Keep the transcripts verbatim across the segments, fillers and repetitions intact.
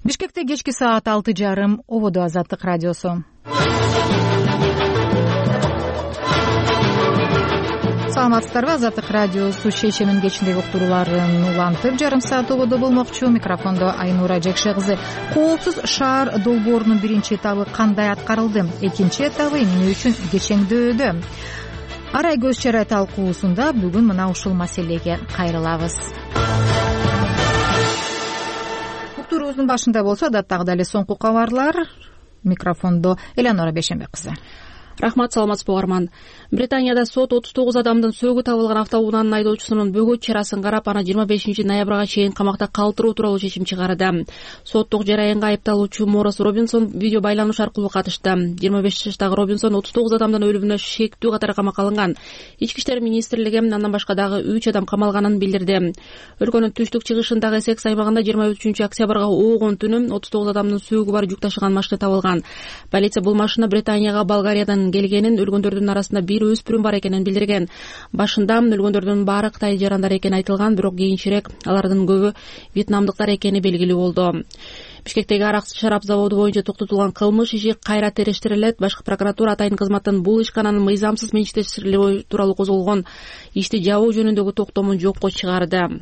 Бишкекте кечки саат алты жарым. Ободо Азаттык радиосу. Саламатсыздарбы? Азаттык радиосу шейшемин кечиндеги уктурууларын улантып жарым саат ободо болмокчу. Микрофондо Айнура Жекшегызы. Коопсуз шаар долбоорунун биринчи этабы кандай аткарылды? Экинчи этабы эмне үчүн кечеңдөөдө? Арай көз чарай талкуусунда бүгүн мына ушул маселеге кайрылабыз. Уктуруубуздун башында болсо адаттагыдай эле соңку кабарлар. Микрофондо Элеонора Бейшенбек кызы. Рахмат, саламатсызбы угарман. Британияда сот отуз тогуз адамдын сөөгү табылган автоунаанын айдоочусунун бөгөт чарасын карап, аны жыйырма бешинчи ноябрга чейин камакта калтыруу тууралуу чечим чыгарды. Соттук жараянга айыпталуучу Морис Робинсон видео байланыш аркылуу катышты. жыйырма беш жаштагы Робинсон отуз тогуз адамдын өлүмүнө шектүү катары камакка алынган. Ички иштер министрлиги андан башка дагы үч адам камалганын билдирди. Өлкөнүн түштүк чыгышындагы Эссекс аймагында жыйырма үчүнчү октябрга оогун түнү отуз тогуз адамдын сөөгү бар жүк ташыган машина табылган. Полиция бул машина Британияга Болгариядан келгенин, өлгөндөрдүн арасында бир өспүрүм бар экенин билдирген. Башында өлгөндөрдүн баары Кытай жарандары экени айтылган, бирок кийинчерээк алардын көбү вьетнамдыктар экени белгилүү болду. Бишкектеги арак шарап заводу боюнча токтотулган кылмыш иши кайра териштирилет. Башкы прокуратура атайын кызматтын бул ишкананын мыйзамсыз менчиктештерилүү тууралуу козголгон ишти жабуу жөнүндөгү токтомун жокко чыгарды.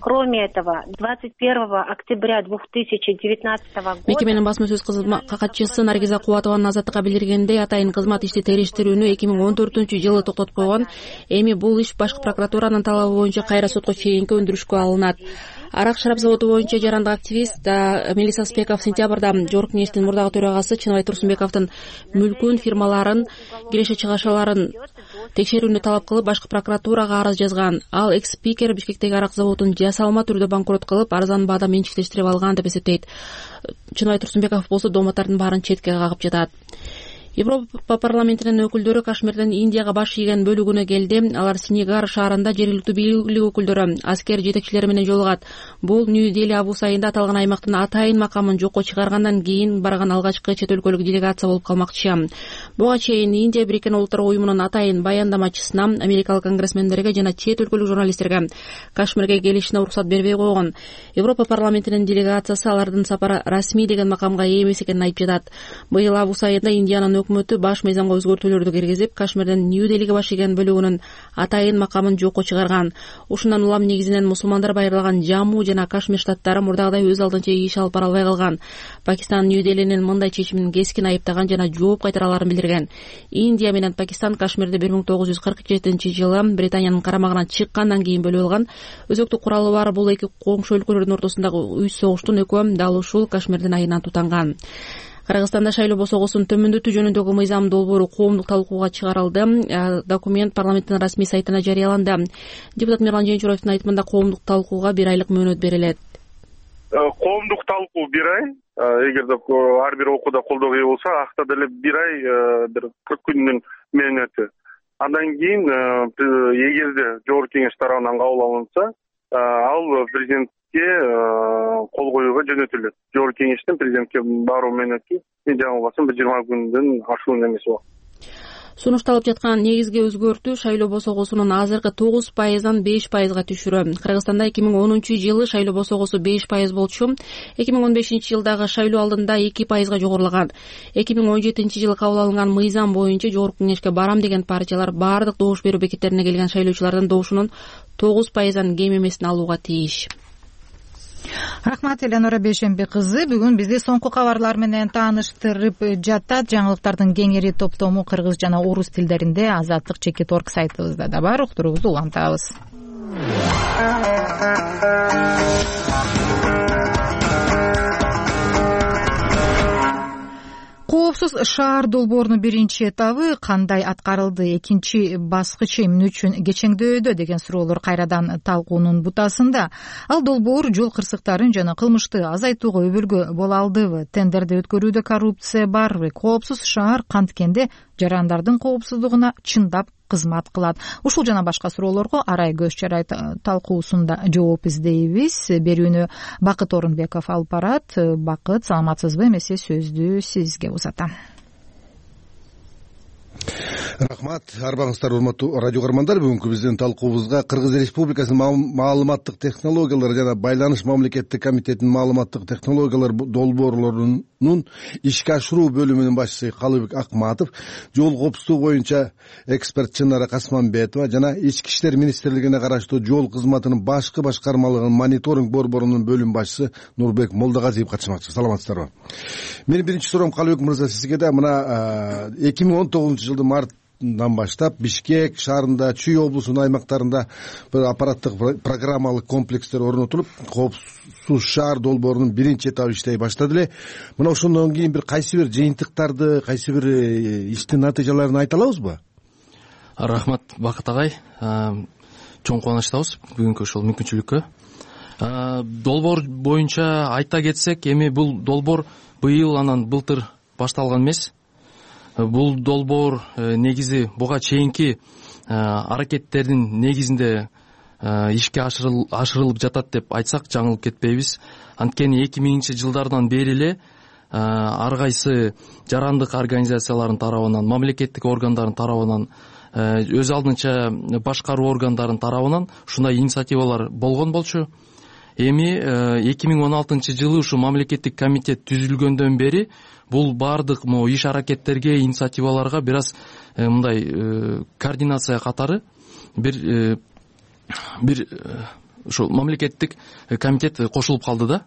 Кроме этого, двадцать первого октября две тысячи девятнадцатого года мекеменин басма сөз катчысы Наргиза Кубатованын Азаттыкка билдиргендей, атайын кызмат ишти териштирүүнү эки миң он төртүнчү жылы токтотуп койгон. Эми бул иш башкы прокуратуранын талабы боюнча кайра сотко чейинки өндүрүшкө алынат. Арак шарап заводу боюнча жарандык активист Мелиса Спеков сентябрда Жорк кеңештин мурдагы төрагасы Чыныбай Турсунбековдун мүлкүн, фирмаларын, киреше чыгашаларын текшерүүнү талап кылып, башкы прокуратурага арыз жазган. Ал экс-спикер Бишкектеги арак заводун жасалма түрдө банкрот кылып, арзан баада менчиктештирип алган деп эсептейт. Чыныбай Турсунбеков болсо дооматтардын баарын четке кагып жатат. Европа парламентинин өкүлдөрү Кашмирден Индияга баш ийген бөлүгүнө келди. Алар Синегар шаарында жергиликтүү бийлик өкүлдөрү, аскер жетекчилери менен жолугат. Бул Нью-Дели Абу Сайында аталган аймактын атайын макамын жокко чыгаргандан кийин барган алгачкы чет өлкөлүк делегация болуп калмакчы. Буга чейин Индия Бириккен Улуттар уюмунун атайын баяндамачысына, америкалык конгрессмендерге жана чет өлкөлүк журналисттерге Кашмирге келишине уруксат бербей койгон. Европа парламентинин делегациясы алардын сапары расмий деген макамга ээ эмес экенин айтып жатат. Быйыл Абу Сайында Индиянын өкмөтү баш мыйзамга өзгөртүүлөрдү киргизип, Кашмирден Нью-Делиге баш ийген бөлүгүнүн атайын макамын жокко чыгарган. Ушундан улам негизинен мусулмандар байырлаган Жамму жана Кашмир штаттары мурдагыдай өз алдынча иш алып бара албай калган. Пакистан Нью-Делинин мындай чечимин кескин айыптаган жана жооп кайтараларын билдирген. Индия менен Пакистан Кашмирди бир миң тогуз жүз кырк жетинчи жылы Британиянын карамагынан чыккандан кийин бөлүп алган. Өзөктүк куралы бар бул эки коңшу өлкөлөрдүн ортосундагы үч согуштун экөө дал ушул Кашмирдин айынан тутанган. Кыргызстанда шайлоо босогосун төмөндөтүү жөнүндөгү мыйзам долбоору коомдук талкууга чыгарылды. Документ парламенттин расмий сайтына жарыяланды. Депутат Мирлан Жээнчураевдин айтымында коомдук талкууга бир айлык мөөнөт берилет. Коомдук талкуу бир ай. Эгерде ар бир окууда колдоого ээ болсо, акта деле бир ай, бир кырк күндүн мөөнөтү. Андан кийин эгерде жогорку кеңеш тарабынан кабыл алынса, ал президент кол коюуга жөнөтүлөт. Жогорку кеңештин президентке баруу мөөнөтү мен жаңылбасам бир жыйырма күндөн ашуун эмес убакыт. Сунушталып жаткан негизги өзгөртүү шайлоо босогосунун азыркы тогуз пайыздан беш пайызга түшүрүү. Кыргызстанда эки миң онунчу жылы шайлоо босогосу беш пайыз болчу. эки миң он бешинчи жылдагы шайлоо алдында эки пайызга жогорулаган. эки миң он жетинчи жылы кабыл алынган мыйзам боюнча жогорку кеңешке барам деген партиялар баардык добуш берүү бекеттерине келген шайлоочулардын добушунун тогуз пайыздан кем эмесин алууга тийиш. Рахмат, Элеонора Бейшенбек кызы. Бүгүн бизди соңку кабарлар менен тааныштырып жатат. Жаңылыктардын кеңири топтому кыргыз жана орус тилдеринде Азаттык чекит орг сайтыбызда да бар. Уктуруубузду улантабыз. Коопсуз шаар долбоорунун биринчи этабы кандай аткарылды, экинчи баскычы эмне үчүн кечеңдөөдө деген суроолор кайрадан талкуунун бутасында. Ал долбоор жол кырсыктарын жана кылмышты азайтууга өбөлгө боло алдыбы? Тендерди өткөрүүдө коррупция барбы? Коопсуз шаар канткенде жарандардын коопсуздугуна чындап кызмат кылат? Ушул жана башка суроолорго Арай көз чарай талкуусунда жооп издейбиз. Берүүнү Бакыт Орунбеков алып барат. Бакыт, саламатсызбы? Эмесе сөздү сизге узатам. Рахмат, арбаңыздар урматтуу радио көрөрмандар. Бүгүнкү биздин талкуубузга Кыргыз Республикасынын маалыматтык технологиялар жана байланыш мамлекеттик комитетинин маалыматтык технологиялар долбоорлорунун ишке ашыруу бөлүмүнүн башчысы Калыбек Акматов, жол коопсуздугу боюнча эксперт Чынара Касманбетова жана Ички иштер министрлигине караштуу жол кызматынын башкы башкармалыгынын мониторинг борборунун бөлүм башчысы Нурбек Молдогазиев катышмакчы. Саламатсыздарбы? Менин биринчи суроом Калыбек мырза сизге да мына эки миң он тогузунчу жылдын март дан баштап Бишкек шаарында, Чүй облусунун аймактарында бир аппараттык программалык комплекстер орнотулуп, коопсуз шаар долбоорунун биринчи этабы иштей баштады эле. Мына ошондон кийин бир кайсы бир жыйынтыктарды, кайсы бир иштин натыйжаларын айта алабызбы? Рахмат, Бакыт агай. Чоң кубанычтабыз бүгүнкү ушул мүмкүнчүлүккө. Долбоор боюнча айта кетсек, эми бул долбоор быйыл анан былтыр башталган эмес. Бул долбоор негизи буга чейинки аракеттердин негизинде ишке ашырылып жатат деп айтсак жаңылып кетпейбиз. Анткени эки миңинчи жылдардан бери эле ар кайсы жарандык организациялардын тарабынан, мамлекеттик органдардын тарабынан, өз алдынча башкаруу органдарынын тарабынан ушундай инициативалар болгон болчу. Эми эки миң он алтынчы жылы ушу мамлекеттик комитет түзүлгөндөн бери бул баардык могу иш аракеттерге, инициативаларга бир аз мындай координация катары бир бир ушул мамлекеттик комитет кошулуп калды да.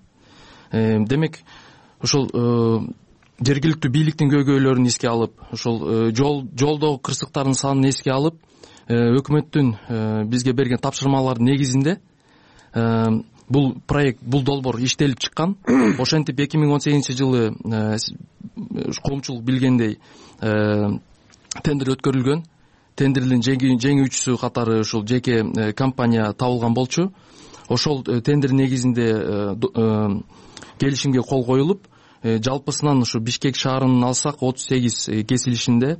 Демек ушул жергиликтүү бийликтин көйгөйлөрүн эске алып, ушул жол жолдогу кырсыктардын санын эске алып, өкмөттүн бизге берген тапшырмалардын негизинде бул проект, бул долбоор иштелип чыккан. Ошентип эки миң он сегизинчи жылы коомчулук билгендей тендер өткөрүлгөн. Тендердин жеңүүчүсү катары ушул жеке компания табылган болчу. Ошол тендер негизинде келишимге кол коюлуп, жалпысынан ушу Бишкек шаарынын алсак отуз сегиз кесилишинде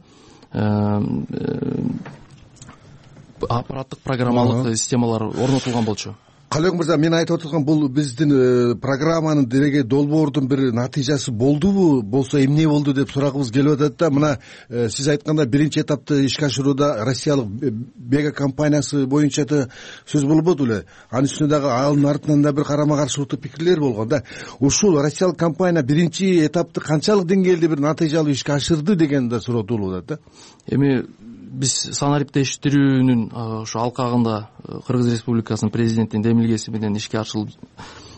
аппараттык программалык системалар орнотулган болчу. Калыбек мырза, мен айтып отурган бул биздин программанын дереге долбоордун бир натыйжасы болдубу, болсо эмне болду деп сурагыбыз келип атат да. Мына сиз айтканда биринчи этапты ишке ашырууда Россиялык Бега компаниясы боюнча да сөз болбоду эле. Анын үстүнө дагы анын артынан да бир карама каршылыктуу пикирлер болгон да. Ушул Россиялык компания биринчи этапты канчалык деңгээлде бир натыйжалуу ишке ашырды деген да суроо туулуп атат да. Эми биз санариптештирүүнүн ошо алкагында Кыргыз Республикасынын президентинин демилгеси менен ишке ашырылып,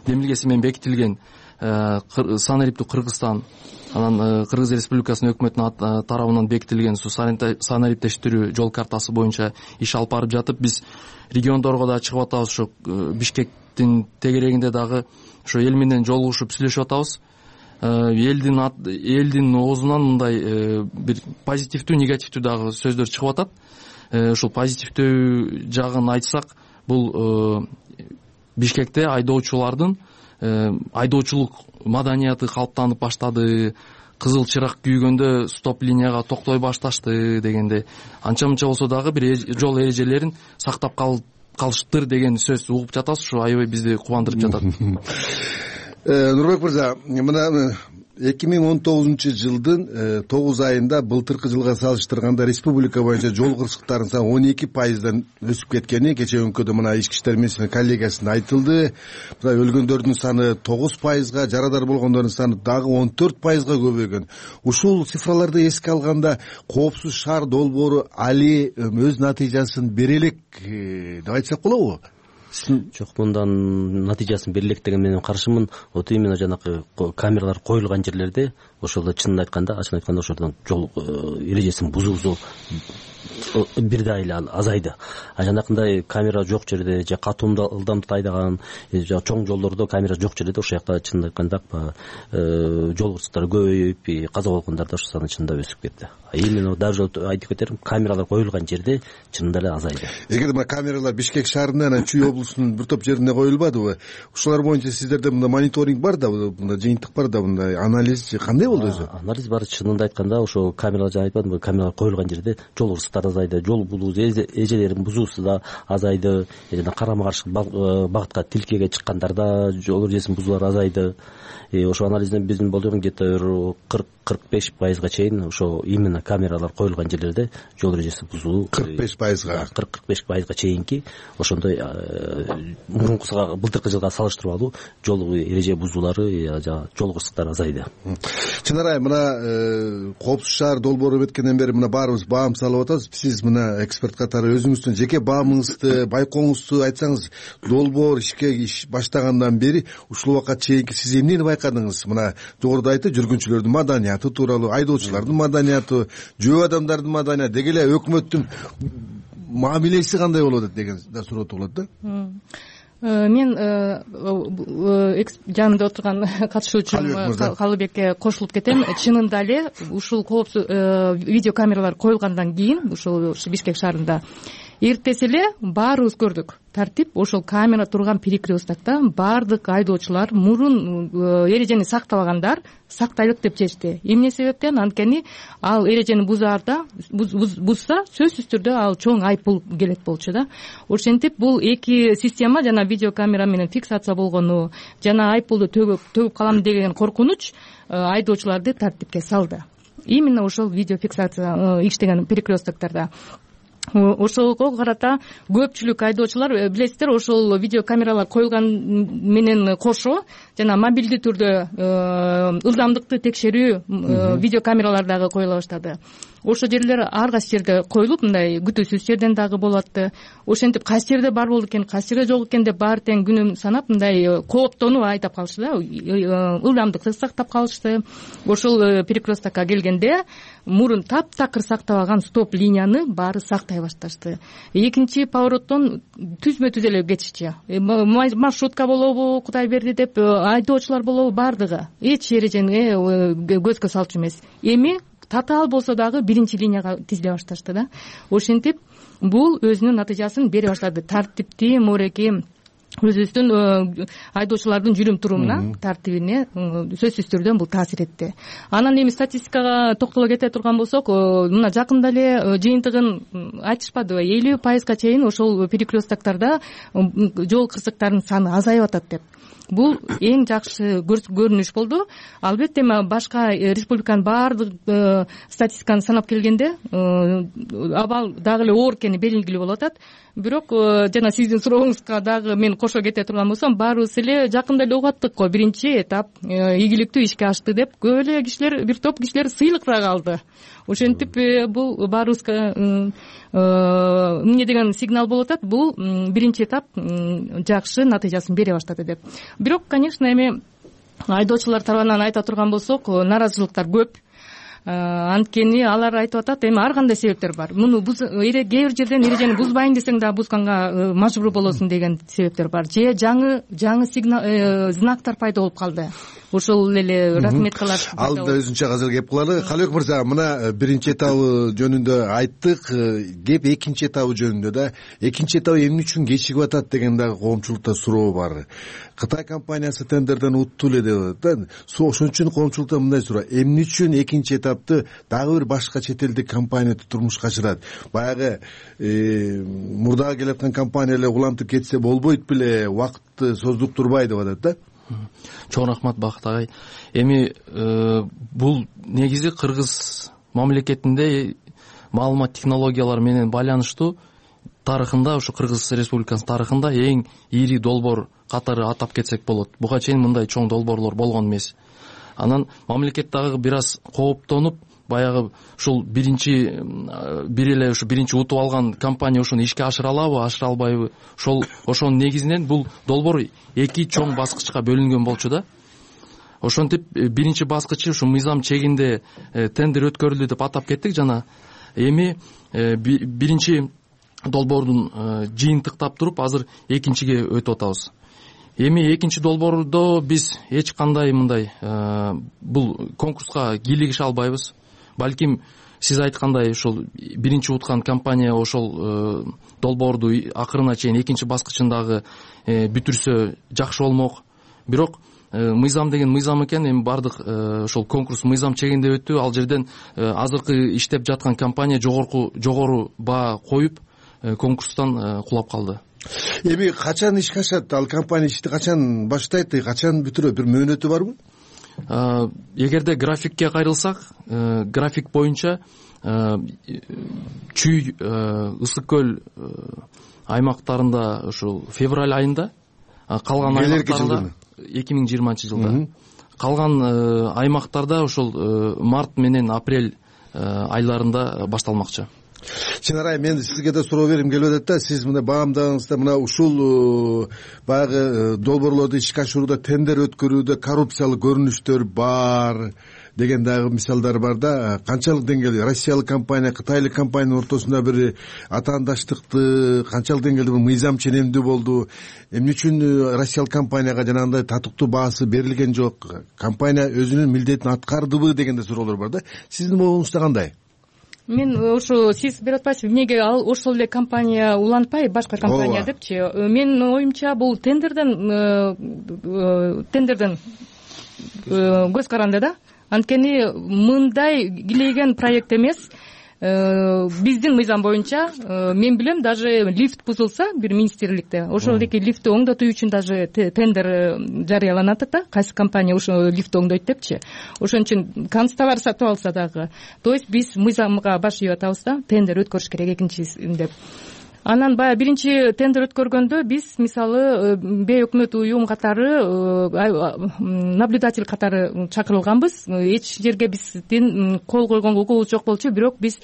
демилгеси менен бекитилген санариптүү Кыргызстан, анан Кыргыз Республикасынын өкмөтүнүн тарабынан бекитилген санариптештирүү жол картасы боюнча иш алып барып жатып, биз региондорго да чыгып атабыз. Ошо Бишкектин тегерегинде дагы ошо эл менен жолугушуп сүйлөшүп атабыз. Элдин элдин оозунан мындай бир позитивдүү, негативдүү дагы сөздөр чыгып атат. Ушул позитивдүү жагын айтсак, бул Бишкекте айдоочулардын айдоочулук маданияты калыптанып баштады. Кызыл чырак күйгөндө стоп линияга токтой башташты дегенде, анча мынча болсо дагы бир жол эрежелерин сактап калыштыр деген сөз угуп жатабыз. Ушу аябай бизди кубандырып жатат. Нурбек мырза, мына эки миң он тогузунчу жылдын тогуз айында былтыркы жылга салыштырганда республика боюнча жол кырсыктарынын саны он эки пайыздан өсүп кеткени кечээ өңкөдө мына Ички иштер министринин коллегиясында айтылды. Мына өлгөндөрдүн саны тогуз пайызга, жарадар болгондордун саны дагы он төрт пайызга көбөйгөн. Ушул цифраларды эске алганда коопсуз шаар долбоору али өз натыйжасын бере элек деп айтсак болобу? Жок, мындан натыйжасын бере элек деген менин карашымын. Вот именно жанагы камералар коюлган жерлерде ошолдо чынын айтканда, ачык айтканда ошолдон жол эрежесин бузуусу бир да эле азайды. А жанакындай камера жок жерде же катуу ылдамдыкта айдаган, же чоң жолдордо камера жок жерде ошол жакта чынын айтканда жол кырсыктары көбөйүп, каза болгондор да ошо саны чынында өсүп кетти. Именно даже айтып кетерим, камералар коюлган жерде чынында эле азайды. Эгер мына камералар Бишкек шаарында, анан Чүй облусунда облусунун бир топ жерине коюлбадыбы? Ушулар боюнча сиздерде мындай мониторинг бар да, мындай жыйынтык бар да, мындай анализ кандай болду өзү? Анализ бар. Чынында айтканда ошо камералар жана айтпадымбы, камералар коюлган жерде жол кырсыктары азайды, жол булуу, эжелердин бузуусу да азайды, жана карама каршы багытка тилкеге чыккандар да жол эрежесин бузуулар азайды. Ошо анализден биздин болжол где то кырк кырк беш пайызга чейин ошо именно камералар коюлган жерлерде жол эрежеси бузулуу кырк беш пайызга кырк кырк беш пайызга чейинки ошондой мурункусуга былтыркы жылга салыштырмалуу жол эреже бузуулары жана жол кырсыктары азайды. Чынар айым, мына Коопсуз шаар долбоору өткөндөн бери мына баарыбыз баам салып атабыз. Сиз мына эксперт катары өзүңүздүн жеке баамыңызды, байкооңузду айтсаңыз, долбоор ишке баштагандан бери ушул убакка чейинки сиз эмнени байкадыңыз? Мына жогоруда айтты, жүргүнчүлөрдүн маданияты тууралуу, айдоочулардын маданияты, жөө адамдардын маданияты, деги эле өкмөттүн мамилеси кандай болуп атат деген да суроо туулат да. Мен жанымда отурган катышуучум Калыбекке кошулуп кетем. Чынында эле ушул коопсуз видеокамералар коюлгандан кийин ушул Бишкек шаарында эртеси эле баарыбыз көрдүк. Тартип ошол камера турган перекресткта баардык айдоочулар мурун эрежени сактабагандар сактайлык деп чечти. Эмне себептен? Анткени ал эрежени бузаарда бузса сөзсүз түрдө ал чоң айыппул келет болчу да. Ошентип бул эки система, жана видеокамера менен фиксация болгону жана айыппулду төгүп калам деген коркунуч айдоочуларды тартипке салды. Именно ошол видеофиксация иштеген перекрестктерде. Ошого карата көпчүлүк айдоочулар, билесиздер, ошол видеокамералар коюлган менен кошо жана мобилдүү түрдө ылдамдыкты текшерүү видеокамералар дагы коюла баштады. Ошол жерлер ар кайсы жерде коюлуп, мындай күтүүсүз жерден дагы болуп атты. Ошентип кайсы жерде бар болду экен, кайсы жерде жок экен деп баары тең күнүн санап мындай кооптонуп айдап калышты да, ылдамдыкты сактап калышты. Ошол перекресткка келгенде мурун таптакыр сактабаган стоп линияны баары сактай башташты. Экинчи повороттон түзмө түз эле кетишчи. Маршрутка болобу, Кудай берди деп, айдоочулар болобу, баардыгы эч эрежени көзгө салчу эмес. Эми татаал болсо дагы биринчи линияга тизиле башташты да. Ошентип бул өзүнүн натыйжасын бере баштады. Тартипти, мореки өзүбүздүн айдоочулардын жүрүм турумуна, тартибине сөзсүз түрдө бул таасир этти. Анан эми статистикага токтоло кете турган болсок, мына жакында эле жыйынтыгын айтышпадыбы, элүү пайызга чейин ошол перекрестктерде жол кырсыктарынын саны азайып атат деп. Бул эң жакшы көрүнүш болду. Албетте башка республиканын баардык статистиканы санап келгенде абал дагы эле оор экени белгилүү болуп атат. Бирок жана сиздин сурооңузга дагы мен кошо кете турган болсом, баарыбыз эле жакында эле угаттык го, биринчи этап ийгиликтүү ишке ашты деп. Көп эле кишилер, бир топ кишилер сыйлыктар алды. Ошентип бул баарыбызга эмне деген сигнал болуп атат, бул биринчи этап жакшы натыйжасын бере баштады деп. Бирок, конечно, эми айдоочулар тарабынан айта турган болсок, наразычылыктар көп. Анткени алар айтып атат, эми ар кандай себептер бар. Муну кээ бир жерден эрежени бузбайын десең да бузганга мажбур болосуң деген себептер бар. Же жаңы жаңы сигнал знактар пайда болуп калды. Ошол эле разметкалар. Ал да өзүнчө азыр кеп калалы. Калыбек мырза, мына биринчи этабы жөнүндө айттык, кеп экинчи этабы жөнүндө да. Экинчи этабы эмне үчүн кечигип атат деген дагы коомчулукта суроо бар. Кытай компаниясы тендерден утту эле деп атат. Ошон үчүн коомчулукта мындай суроо: эмне үчүн экинчи этапты дагы бир башка чет элдик компания турмушка чыгарат? Баягы мурдагы келаткан компания эле улантып кетсе болбойт беле, убакытты создуктурбай деп атат да. Чоң рахмат Бакыт агай. Эми бул негизи Кыргыз мамлекетинде маалымат технологиялары менен байланыштуу тарыхында, ушу Кыргыз Республикасынын тарыхында эң ири долбоор катары атап кетсек болот. Буга чейин мындай чоң долбоорлор болгон эмес. Анан мамлекет дагы бир аз кооптонуп, баягы ушул биринчи бир эле ушу биринчи утуп алган компания ушуну ишке ашыра алабы, ашыра албайбы? Ошол ошонун негизинен бул долбоор эки чоң баскычка бөлүнгөн болчу да. Ошентип биринчи баскычы ушу мыйзам чегинде тендер өткөрүлдү деп атап кеттик жана. Эми биринчи долбоордун жыйынтыктап туруп азыр экинчиге өтүп атабыз. Эми экинчи долбоордо биз эч кандай мындай бул конкурска кийлигише албайбыз. Балким сиз айткандай ушул биринчи уткан компания ошол долбоорду акырына чейин экинчи баскычындагы бүтүрсө жакшы болмок. Бирок мыйзам деген мыйзам экен, эми баардык ошол конкурс мыйзам чегинде өттү. Ал жерден азыркы иштеп жаткан компания жогорку жогору баа коюп конкурстан кулап калды. Эми качан ишке ашат? Ал компания ишти качан баштайт, качан бүтүрөт? Бир мөөнөтү барбы? Эгерде графикке кайрылсак, график боюнча Чүй, Ысык көл аймактарында ушул февраль айында, калган аймактарда эки миң жыйырманчы жылда, калган аймактарда ушул март менен апрель айларында башталмакчы. Чынарай, мен сизге да суроо бергим келип атат да. Сиз мына баамдагыңызда мына ушул баягы долбоорлорду ишке ашырууда, тендер өткөрүүдө коррупциялык көрүнүштөр бар деген дагы мисалдар бар да. Канчалык деңгээлде Россиялык компания, Кытайлык компаниянын ортосунда бир атаандаштыкты, канчалык деңгээлде бир мыйзам ченемдүү болду? Эмне үчүн Россиялык компанияга жанагындай татыктуу баасы берилген жок? Компания өзүнүн милдетин аткардыбы деген да суроолор бар да. Сиздин моюңузда кандай? Мен ошо сиз берип атпайсызбы, эмнеге ал ошол эле компания улантпай башка компания депчи? Менин оюмча бул тендерден тендерден көз каранды да. Анткени мындай килейген проект эмес. Биздин мыйзам боюнча мен билем, даже лифт бузулса бир министрликте, ошол эки лифтти оңдотуу үчүн даже тендер жарыяланат да, кайсы компания ошо лифтти оңдойт депчи. Ошон үчүн консталар сатып алса дагы, то есть биз мыйзамга баш ийип атабыз да, тендер өткөрүш керек экинчисин деп. Анан баягы биринчи тендер өткөргөндө биз мисалы бейөкмөт уюм катары, наблюдатель катары чакырылганбыз. Эч жерге биздин кол койгонго укугубуз жок болчу, бирок биз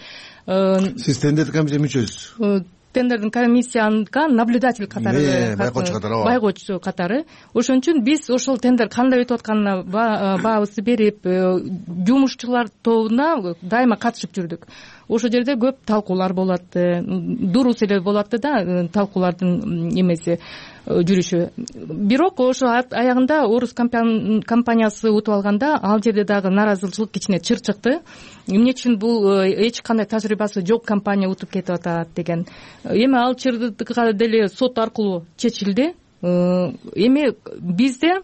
Сиз тендердик комиссия мүчөсүз? Тендердин комиссияныкка наблюдатель катары, байкоочу катары, байкоочу катары. Ошон үчүн биз ошол тендер кандай өтүп атканына баабызды берип, жумушчулар тобуна дайыма катышып жүрдүк. Ошол жерде көп талкуулар болот, дурус эле болот да, талкуулардын эмеси жүрүшү. Бирок ошо аягында орус компаниясы утуп алганда, ал жерде дагы нааразычылык кичине чыр чыкты. Эмне үчүн бул эч кандай тажрыйбасы жок компания утуп кетип атат деген. Эми ал чырдыкка деле сот аркылуу чечилди. Эми бизде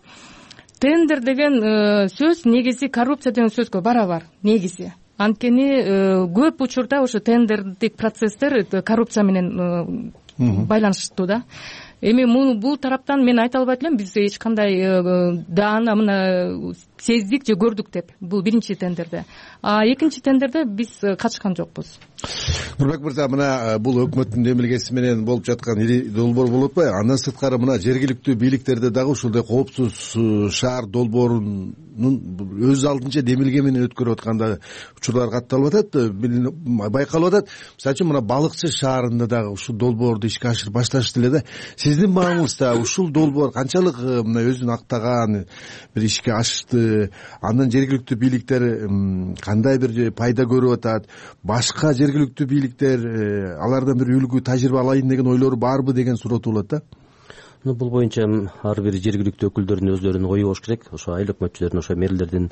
тендер деген сөз негизи коррупция деген сөзгө барабар негизи. Анткени көп учурда ошо тендердик процесстер коррупция менен байланыштуу да. Эми бул тараптан мен айта албайт элем, биз эч кандай даана мына сездик же көрдүк деп, бул биринчи тендерде. А экинчи тендерде биз катышкан жокпуз. Нурбек мырза, мына бул өкмөттүн демилгеси менен болуп жаткан ири долбоор болуп атпайбы? Андан сырткары мына жергиликтүү бийликтерде дагы ушундай коопсуз шаар долбоорунун өз алдынча демилге менен өткөрүп атканда учурлар катталып атат, байкалып атат. Мисалы үчүн мына Балыкчы шаарында дагы ушул долбоорду ишке ашырып башташты эле да. Сиздин мааңызда ушул долбоор канчалык мына өзүн актаган, бир ишке ашты, андан жергиликтүү бийликтер кандай бир пайда көрүп атат? Башка жергиликтүү бийликтер алардан бир үлгү тажрыйба алайын деген ойлору барбы деген суроо туулат да. Бул боюнча ар бир жергиликтүү өкүлдөрдүн өздөрүнүн ою болуш керек. Ошо айыл өкмөтчүлөрдүн, ошо мэрлердин,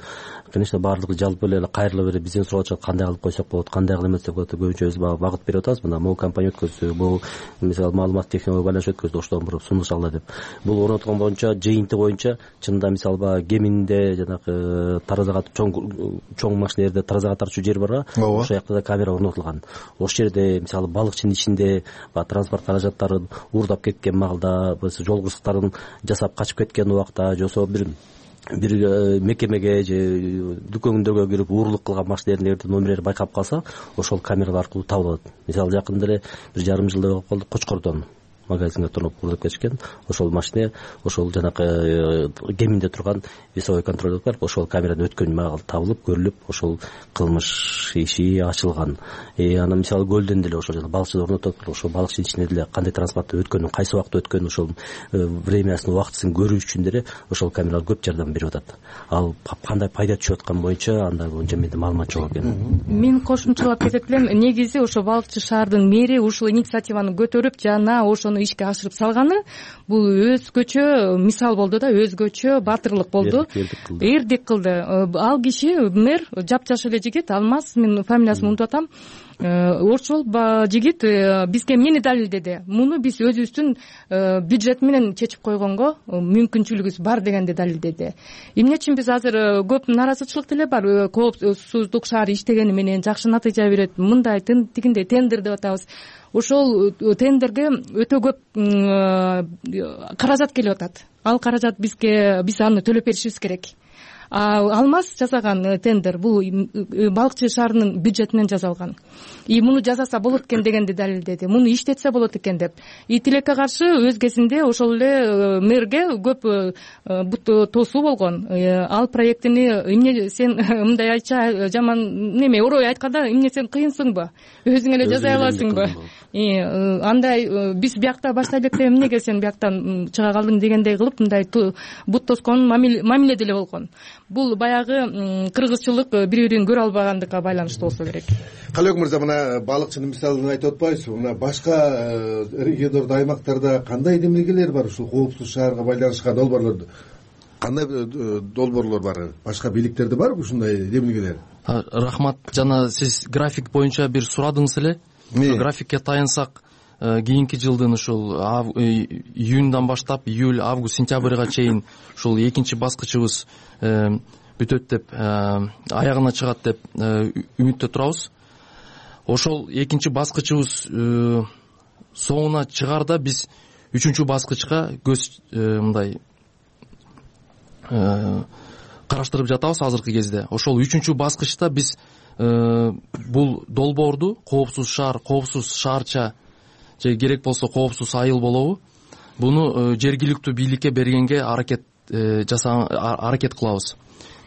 конечно, баардыгы жалпы эле кайрылып эле бизден сурап атышат, кандай кылып койсок болот, кандай кылып эместек болот деп көбүнчө өз багыт берип атабыз. Мына могу компания өткөздү, бул мисалы маалымат технология байланыш өткөздү, оштон буруп сунуш алды деп. Бул орнотулган боюнча, жыйынты боюнча чынында мисалы баягы Кеминде жанагы таразага чоң чоң машинелерде таразага тартчу жер барга, ошол жакта да камера орнотулган. Ошол жерде мисалы Балыкчынын ичинде баягы транспорт каражаттарын уурдап кеткен маалда, жол кырсыктарын жасап качып кеткен убакта, жосо бир бир мекемеге же дүкөндөргө кирип уурулук кылган машинелердин номерлери байкап калса, ошол камералар аркылуу табылат. Мисалы жакында эле бир жарым жылдай болуп калды, Кочкордон магазинге тоноп уурдап кетишкен. Ошол машина ошол жанагы Кеминде турган весовой контроль бар, ошол камерадан өткөн маал табылып, көрүлүп, ошол кылмыш иши ачылган. Э анан мисалы Көлдөн деле ошол жана Балыкчыда орнотуп, ошол Балыкчынын ичинде деле кандай транспортто өткөнүн, кайсы убакта өткөнүн, ошол времясын, убактысын көрүү үчүн деле ошол камералар көп жардам берип атат. Ал кандай пайда түшүп аткан боюнча анда боюнча менде маалымат жок экен. Мен кошумчалап кетет элем, негизи ошо Балыкчы шаардын мэри ушул инициативаны көтөрүп, жана ошо ошону ишке ашырып салганы бул өзгөчө мисал болду да, өзгөчө баатырлык болду, эрдик кылды. Ал киши мэр, жапжаш эле жигит, Алмаз, мен фамилиясын унутуп атам. Ошол жигит бизге эмнени далилдеди? Муну биз өзүбүздүн бюджет менен чечип койгонго мүмкүнчүлүгүбүз бар дегенди далилдеди. Эмне үчүн биз азыр көп нааразычылык деле бар. Коопсуздук шаар иштегени менен жакшы натыйжа берет, мындай тигиндей тендер деп атабыз. Ошол тендерге өтө көп каражат келип атат. Ал каражат бизге, биз аны төлөп беришибиз керек. Алмаз жасаган тендер бул Балыкчы шаарынын бюджетинен жасалган. И муну жасаса болот экен дегенди далилдеди. Муну иштетсе болот экен деп. И тилекке каршы өз кезинде ошол эле мэрге көп бут тосуу болгон. Ал проектини эмне сен мындай айтча жаман неме орой айтканда эмне сен кыйынсыңбы? Өзүң эле жасай аласыңбы? И андай биз биякта баштай электе эмнеге сен бияктан чыга калдың дегендей кылып мындай бут тоскон мамиле деле болгон. Бул баягы кыргызчылык бири бирин көрө албагандыкка байланыштуу болсо керек. Калек мырза, мына балыкчынын мисалын айтып атпайсызбы? Мына башка региондордо, аймактарда кандай демилгелер бар ушул коопсуз шаарга байланышкан долбоорлорду? Кандай долбоорлор бар? Башка бийликтерде барбы ушундай демилгелер? Рахмат. Жана сиз график боюнча бир сурадыңыз эле. Графикке таянсак, кийинки жылдын ушул июньдан баштап июль, август, сентябрга чейин ушул экинчи баскычыбыз бүтөт деп, аягына чыгат деп үмүттө турабыз. Ошол экинчи баскычыбыз соңуна чыгарда биз үчүнчү баскычка көз мындай караштырып жатабыз азыркы кезде. Ошол үчүнчү баскычта биз бул долбоорду коопсуз шаар, коопсуз шаарча же керек болсо коопсуз айыл болобу, буну жергиликтүү бийликке бергенге аракет жасаа аракет кылабыз.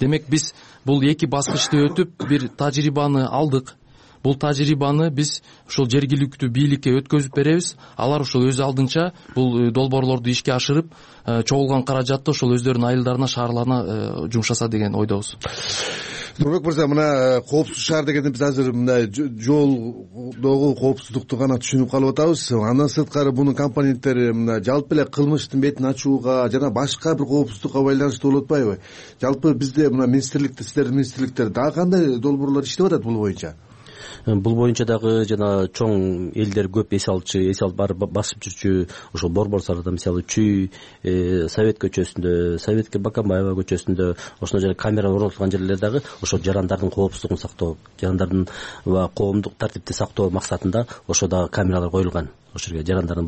Демек биз бул эки баскычты өтүп бир тажрыйбаны алдык. Бул тажрыйбаны биз ошол жергиликтүү бийликке өткөзүп беребиз. Алар ошол өз алдынча бул долбоорлорду ишке ашырып, чогулган каражатты ошол өздөрүнүн айылдарына, шаарларына жумшаса деген ойдобуз. Нурбек мырза, мына коопсуз шаар дегенде биз азыр мындай жолдогу коопсуздукту гана түшүнүп калып атабыз. Андан сырткары мунун компоненттери мына жалпы эле кылмыштын бетин ачууга жана башка бир коопсуздукка байланыштуу болуп атпайбы? Жалпы бизде мына министрликте, сиздердин министрликтер дагы кандай долбоорлор иштеп атат бул боюнча? Бул боюнча дагы жана чоң элдер көп эс алчу, эс алып барып басып жүрчү ошол Борбор шаарында, мисалы Чүй, Совет көчөсүндө, Советке Баканбаева көчөсүндө ошондой жер камера орнотулган жерлер дагы ошол жарандардын коопсуздугун сактоо, жарандардын коомдук тартипти сактоо максатында ошо дагы камералар коюлган. Ошол жерге жарандардын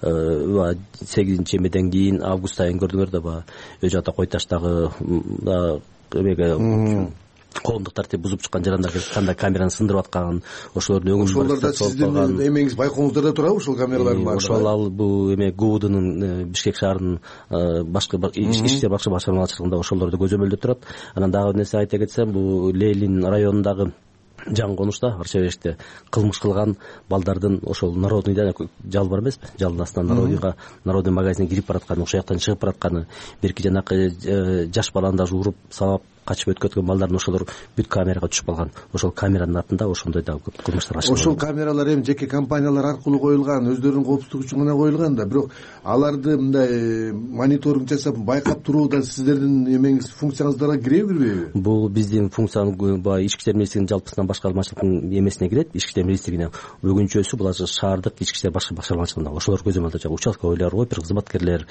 баягы сегизинчи эмеден кийин август айын көрдүңөр да, баягы Өз ата Кой таштагы эмеге коомдук тартип бузуп чыккан жарандарды кандай камераны сындырып аткан, ошолордун өңүн ошолордо сиздин эмеңиз, байкооңуздарда турабы ошол камералардын баары? Ошол ал бул эме ГУБДнын Бишкек шаарынын башкы ички иштер башкы башкармачылыгында ошолорду көзөмөлдө турат. Анан дагы нерсе айта кетсем, бул Ленин районундагы жаңы конушта Арчабекте кылмыш кылган балдардын ошол народныйда жал бар эмеспи, жалдын астынан народныйга, народный магазинге кирип баратканы, ошол жактан чыгып баратканы, бирки жанакы жаш баланы даже уруп сабап качып өткөткөн балдардын ошолор бүт камерага түшүп калган. Ошол камеранын артында ошондой да көп кылмыштар ачылган. Ошол камералар эми жеке компаниялар аркылуу коюлган, өздөрүнүн коопсуздугу үчүн гана коюлган да, бирок аларды мындай мониторинг жасап байкап турууда сиздердин эмеңиз, функцияңыздарга киреби, кирбейби? Бул биздин функциянын баягы ички иштер министрлигинин жалпысынан башкармачылыктын эмесине кирет, ички иштер министрлигине. Бүгүнчөсү бул азыр шаардык ички иштер башкы башкармачылыгында. Ошолор көзөмөлдө жана участковыйлар, опер кызматкерлер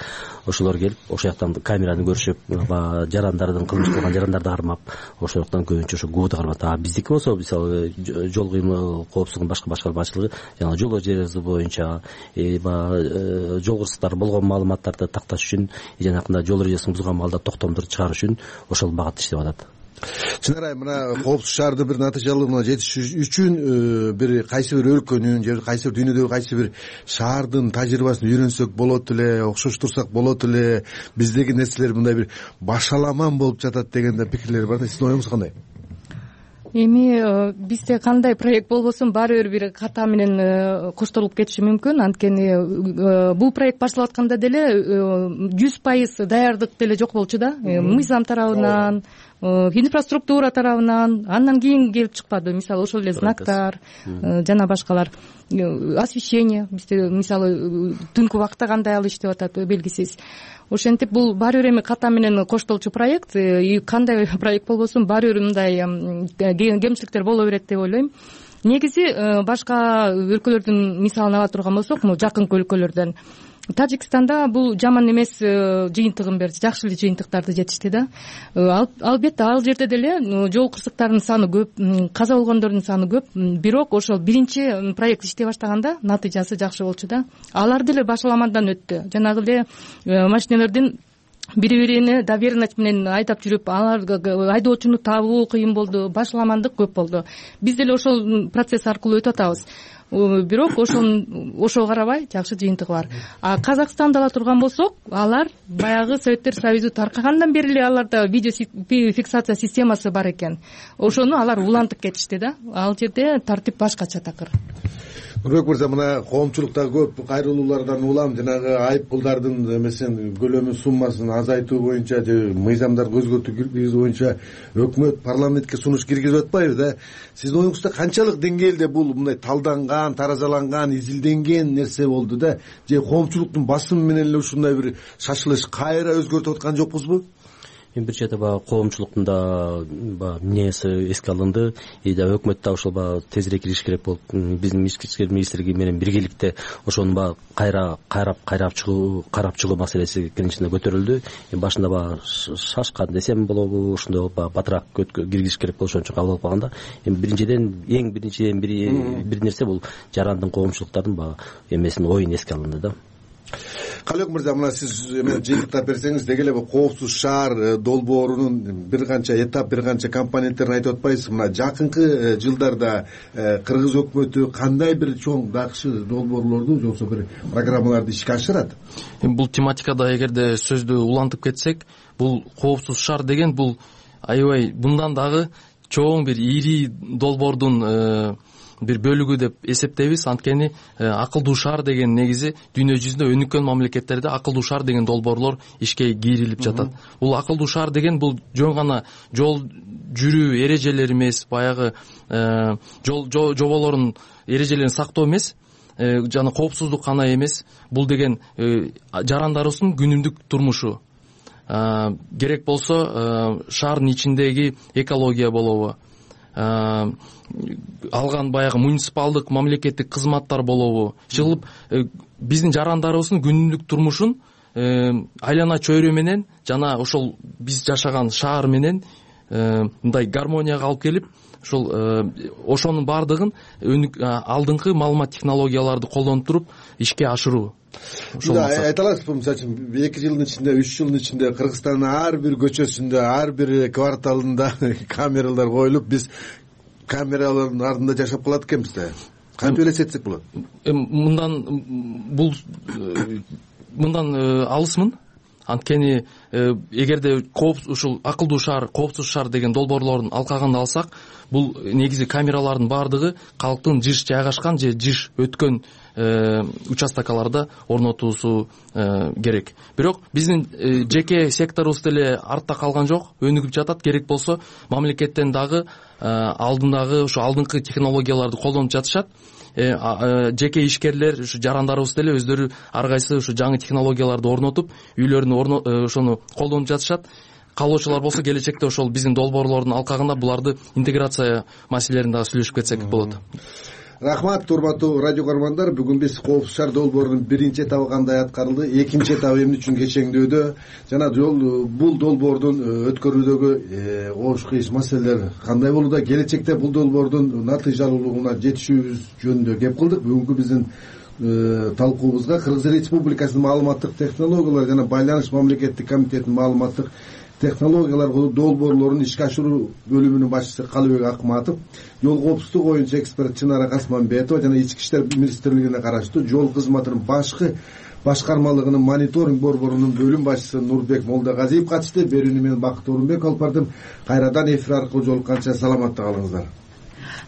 ошолор келип, ошол жактан камераны көрүшүп, баягы жарандардын кылмыш кылган жарандарды кармап, ошол жактан көбүнчө ошо ГУБД кармат. А биздики болсо, мисалы жол кыймыл коопсуздугунун башкы башкармачылыгы жана жол эрежеси боюнча баягы жол кырсыктары болгон маалыматтарды такташ үчүн, жанакындай жол эрежесин бузган маалда токтомдор чыгарыш үчүн ошол багытта иштеп атат. Чынарай, мына коопсуз шаарды бир натыйжалууна жетиш үчүн бир кайсы бир өлкөнүн же кайсы бир дүйнөдөгү кайсы бир шаардын тажрыйбасын үйрөнсөк болот эле, окшоштурсак болот эле, биздеги нерселер мындай бир башаламан болуп жатат деген да пикирлер бар да. Сиздин оюңуз кандай? Эми бизде кандай проект болбосун баары бир бир ката менен коштолуп кетиши мүмкүн. Анткени бул проект башталып атканда деле жүз пайыз даярдык деле жок болчу да. Мыйзам тарабынан, инфраструктура тарабынан андан кийин келип чыкпады. Мисалы ошол эле знактар жана башкалар, освещение бизде мисалы түнкү убакта кандай ал иштеп атат белгисиз. Ошентип бул баары бир эми ката менен коштолчу проект, кандай проект болбосун баары бир мындай кемчиликтер боло берет деп ойлойм. Негизи башка өлкөлөрдүн мисалын ала турган болсок, могу жакынкы өлкөлөрдөн Тажикстанда бул жаман эмес жыйынтыгын берди, жакшы эле жыйынтыктарды жетишти да. Албетте ал жерде деле жол кырсыктарынын саны көп, каза болгондордун саны көп, бирок ошол биринчи проект иштей баштаганда натыйжасы жакшы болчу да. Алар деле башаламадан өттү. Жанагы эле машиналердин бири-бирине доверенность менен айдап жүрүп, алар айдоочуну табуу кыйын болду, башаламандык көп болду. Биз деле ошол процесс аркылуу өтүп атабыз. Бирок ошон ошого карабай жакшы жыйынтыгы бар. А Казакстанда ала турган болсок, алар баягы Советтер Союзу таркагандан бери эле аларда видео фиксация системасы бар экен. Ошону алар улантып кетишти да. Ал жерде тартип башкача такыр. Нурбек мырза, мына коомчулукта көп кайрылуулардан улам жанагы айып пулдардын эмесин көлөмү суммасын азайтуу боюнча же мыйзамдарды өзгөртүү киргизүү боюнча өкмөт парламентке сунуш киргизип атпайбы да? Сиздин оюңузда канчалык деңгээлде бул мындай талданган, таразаланган, изилденген нерсе болду да? Же коомчулуктун басымы менен эле ушундай бир шашылыш кайра өзгөртүп аткан жокпузбу? Биринчи жолу баягы коомчулуктун да баягы мнениясы эске алынды. И да өкмөт да ошол баягы тезирээк кириш керек болуп, биздин ички иштер министрлиги менен биргеликте ошону баягы кайра кайрап кайрап чыгуу, карап чыгуу маселеси биринчиден көтөрүлдү. Башында баягы шашкан десем болобу, ошондой баягы батыраак киргизиш керек болуп ошончо кабыл алып калганда, эми биринчиден эң биринчиден бири бир нерсе бул жарандын коомчулуктардын баягы эмесин оюн эске алынды да. Калек мырза, мына сиз эме жыйынтыктап берсеңиз, деги эле бул коопсуз шаар долбоорунун бир канча этап, бир канча компоненттерин айтып атпайсызбы? Мына жакынкы жылдарда кыргыз өкмөтү кандай бир чоң жакшы долбоорлорду же болбосо бир программаларды ишке ашырат? Бул тематикада эгерде сөздү улантып кетсек, бул коопсуз шаар деген бул аябай мындан дагы чоң бир ири долбоордун бир бөлүгү деп эсептейбиз. Анткени акылдуу шаар деген негизи дүйнө жүзүндө өнүккөн мамлекеттерде акылдуу шаар деген долбоорлор ишке кийрилип жатат. Бул акылдуу шаар деген бул жөн гана жол жүрүү эрежелери эмес, баягы жол жоболордун эрежелерин сактоо эмес, жана коопсуздук гана эмес. Бул деген жарандарыбыздын күнүмдүк турмушу. Керек болсо шаардын ичиндеги экология болобу, алган баягы муниципалдык мамлекеттик кызматтар болобу, чыгылып биздин жарандарыбыздын күнүмдүк турмушун айлана чөйрө менен жана ошол биз жашаган шаар менен мындай гармонияга алып келип, ошол ошонун баардыгын алдыңкы маалымат технологияларды колдонуп туруп ишке ашыруу. Айта аласызбы, мисалы үчүн эки жылдын ичинде, үч жылдын ичинде Кыргызстандын ар бир көчөсүндө, ар бир кварталында камералар коюлуп, биз камералардын ардында жашап калат экенбиз да. Кантип элестетсек болот? Мындан бул мындан алысмын. Анткени эгерде ушул акылдуу шаар, коопсуз шаар деген долбоорлордун алкагын алсак, бул негизи камералардын баардыгы калктын жыш жайгашкан же жыш өткөн участокаларда орнотуусу керек. Бирок биздин жеке секторубуз деле артта калган жок, өнүгүп жатат. Керек болсо мамлекеттен дагы алдындагы ушу алдыңкы технологияларды колдонуп жатышат. Жеке ишкерлер, ушу жарандарыбыз деле өздөрү ар кайсы ушу жаңы технологияларды орнотуп, үйлөрүнө ошону колдонуп жатышат. Каалоочулар болсо келечекте ошол биздин долбоорлордун алкагында буларды интеграция маселелерин дагы сүйлөшүп кетсек болот. Рахмат, урматтуу радио көрөрмандар. Бүгүн биз коопсуз шаар долбоорунун биринчи этабы кандай аткарылды, экинчи этабы эмне үчүн кечеңдөөдө жана жол бул долбоордун өткөрүүдөгү оош кыйыш маселелер кандай болууда, келечекте бул долбоордун натыйжалуулугуна жетишүүбүз жөнүндө кеп кылдык. Бүгүнкү биздин талкуубузга Кыргыз Республикасынын маалыматтык технологиялар жана байланыш мамлекеттик комитетинин маалыматтык технологиялар долбоорлорун ишке ашыруу бөлүмүнүн башчысы Калыбек Акматов, жол коопсуздугу боюнча эксперт Чынара Касманбетова жана Ички иштер министрлигине караштуу жол кызматынын башкы башкармалыгынын мониторинг борборунун бөлүм башчысы Нурбек Молдогазиев катышты. Берүүнү мен Бакыт Орунбек алып бардым. Кайрадан эфир аркылуу жолукканча саламатта калыңыздар.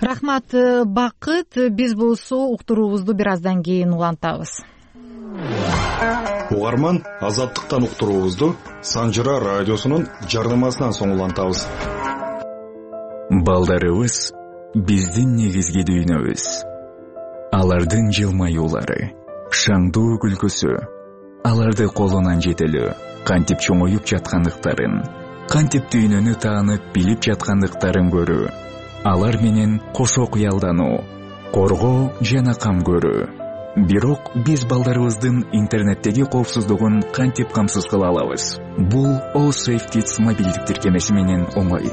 Рахмат, Бакыт. Биз болсо уктуруубузду бир аздан кийин улантабыз. угарман Азаттыктан уктуруубузду Санжыра радиосунун жарнамасынан соң улантабыз. Балдарыбыз биздин негизги дүйнөбүз. Алардын жылмаюулары, шаңдуу күлкүсү, аларды колунан жетелөө, кантип чоңоюп жаткандыктарын, кантип дүйнөнү таанып билип жаткандыктарын көрүү, алар менен кошо кыялдануу, коргоо жана кам көрүү. Бирок биз балдарыбыздын интернеттеги коопсуздугун кантип камсыз кыла алабыз? Бул OSafeKids мобилдик тиркемеси менен оңой.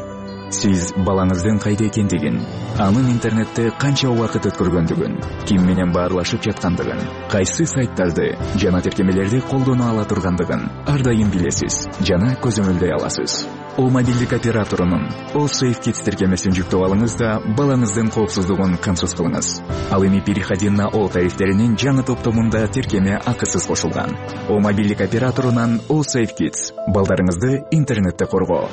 Сиз балаңыздын кайда экендигин, анын интернетте канча убакыт өткөргөндүгүн, ким менен баарлашып жаткандыгын, кайсы сайттарды жана тиркемелерди колдоно ала тургандыгын ар дайым билесиз жана көзөмөлдөй аласыз. О мобилдик операторунун OSafeKids тиркемесин жүктөп алыңыз да балаңыздын коопсуздугун камсыз кылыңыз. Ал эми переходи на О тарифтеринин жаңы топтомунда тиркеме акысыз кошулган. О мобилдик операторунан OSafeKids балдарыңызды интернетте коргоо.